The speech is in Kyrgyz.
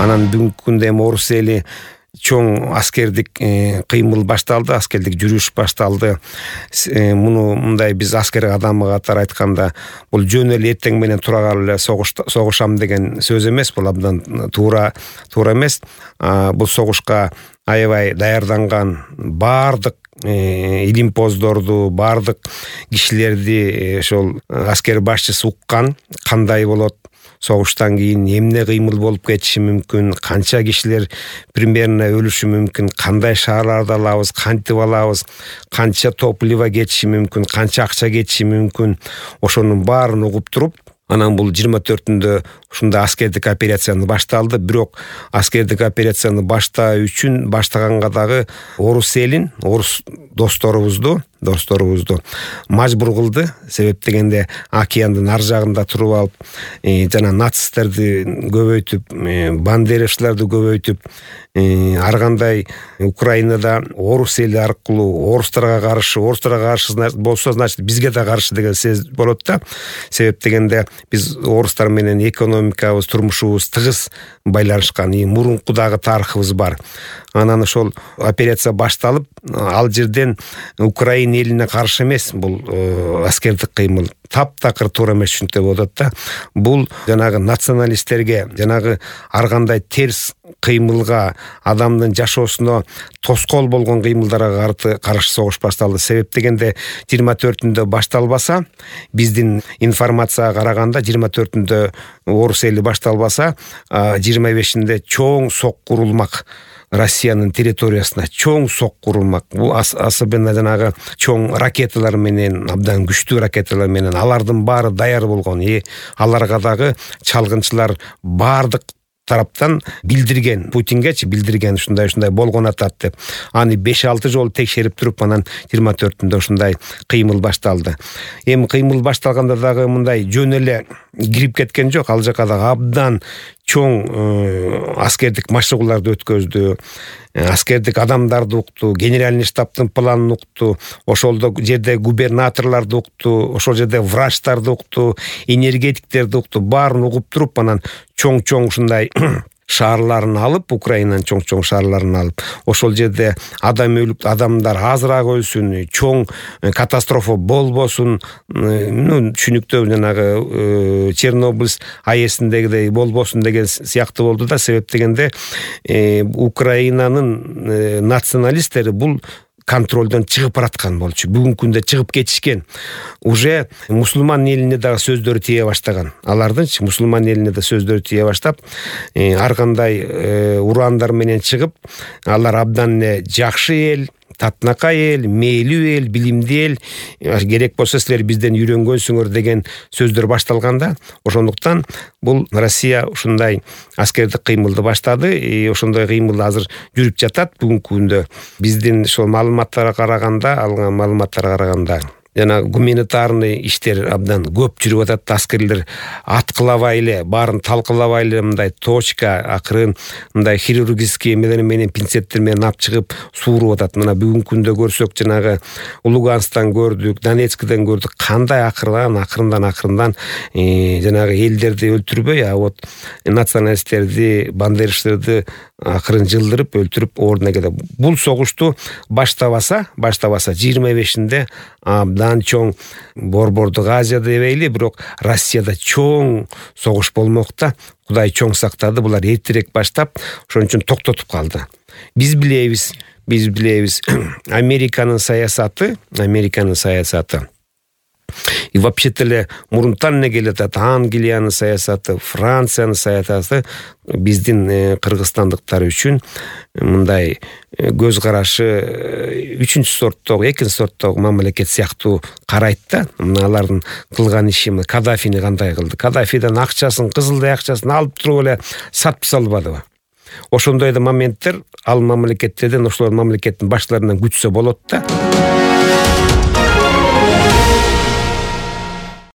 Анан бүгүнкү күндө эми орус эли чоң аскердик кыймыл башталды, аскердик жүрүш башталды. Муну мындай биз аскер адамы катары айтканда, бул жөн эле эртең менен тура калып эле согушам деген сөз эмес, бул абдан туура эмес. Бул согушка аябай даярданган баардык илимпоздорду, баардык кишилерди ошол аскер башчысы уккан, кандай болот, согуштан кийин эмне кыймыл болуп кетиши мүмкүн, канча кишилер примерно өлүшү мүмкүн, кандай шаарларды алабыз, кантип алабыз, канча топливо кетиши мүмкүн, канча акча кетиши мүмкүн, ошонун баарын угуп туруп, анан бул 24-түндө ушундай аскердик операцияны башталды. Бирок аскердик операцияны баштаганга дагы орус элин, орус досторубузду мажбур кылды. Себеп дегенде океандын ар жагында туруп алып, жана нацисттерди көбөйтүп, бандеровчуларды көбөйтүп, ар кандай Украинада орус эли аркылуу орустарга каршы болсо, значит бизге да каршы деген сөз болот да. Себеп дегенде биз орустар менен экономикабыз, турмушубуз тыгыз байланышкан, мурунку дагы тарыхыбыз бар. Анан ошол операция башталып, ал жерден Украина элине каршы эмес, бул аскердик кыймыл таптакыр туура эмес түшүнүктө болуп атат да. Бул жанагы националисттерге, жанагы ар кандай терс кыймылга, адамдын жашоосуна тоскоол болгон кыймылдарга каршы согуш башталды. Себеп дегенде 24-түндө башталбаса, биздин информацияга караганда 24-түндө орус эли башталбаса, 25-инде чоң сок курулмак. Россиянын территориясына чоң сок курулмак. Бул особенно жанагы чоң ракеталар менен, абдан күчтүү ракеталар менен, алардын баары даяр болгон. Аларга дагы чалгынчылар баардык тараптан билдирген, Путингечи билдирген, ушундай болгон атат деп. Аны 5-6 жолу текшерип туруп, анан 24-түндө ушундай кыймыл башталды. Эми кыймыл башталганда дагы мындай жөн эле кирип кеткен жок. Ал жака дагы абдан чоң аскердик машыгууларды өткөздү. Аскердик адамдарды укту, генеральный штабтын планын укту, ошол жерде губернаторлорду укту, ошол жерде врачтарды укту, энергетиктерди укту, баарын угуп туруп, анан чоң ушундай шаарларын алып, Украинанын чоң шаарларын алып, ошол жерде адамдар азыраак өлсүн, чоң катастрофа болбосун, түшүнүктүү жанагы Чернобыль АЭСиндегидей болбосун деген сыяктуу болду да. Себеп дегенде Украинанын националисттери бул контролдон чыгып бараткан болчу. Бүгүнкү күндө чыгып кетишкен. Уже мусулман элине дагы сөздөрү тие баштаган. Алардынчы мусулман элине да сөздөрү тие баштап, ар кандай урандар менен чыгып, алар абдан жакшы эл, татынакай эл, мээлүү эл, билимдүү эл, керек болсо силер бизден үйрөнгөнсүңөр деген сөздөр башталганда, ошондуктан бул Россия ушундай аскердик кыймылды баштады. Ошондой кыймыл азыр жүрүп жатат бүгүнкү күндө. Биздин ошол алган маалыматтарга караганда жана гуманитарный иштер абдан көп жүрүп атат. Аскерлер аткылабай эле, баарын талкалабай эле, мындай точка, акырын мындай хирургический эмелер менен, пинцеттер менен алып чыгып сууруп атат. Мына бүгүнкү күндө көрсөк, жанагы Луганскдан көрдүк, Донецкден көрдүк, кандай акырындан жанагы элдерди өлтүрбөй, вот националисттерди, бандеровчтарды акырын жылдырып, өлтүрүп ордуна келет. Бул согушту баштабаса 25-инде абдан чоң Борбордук Азия дебейли, бирок Россияда чоң согуш болмокта. Кудай чоң сактады, булар эртерээк баштап, ошон үчүн токтотуп калды. Биз билебиз, Американын саясаты и вообще-то эле мурунтан эле келет атат. Англиянын саясаты, Франциянын саясаты биздин кыргызстандыктар үчүн мындай көз карашы экинчи сорттогу мамлекет сыяктуу карайт да. Алардын кылган иши Каддафини кандай кылды? Каддафиден акчасын, кызылдай акчасын алып туруп эле сатып салбадыбы? Ошондой да моменттер ал мамлекеттерден, ошол мамлекеттин баштарынан күтсө болот да.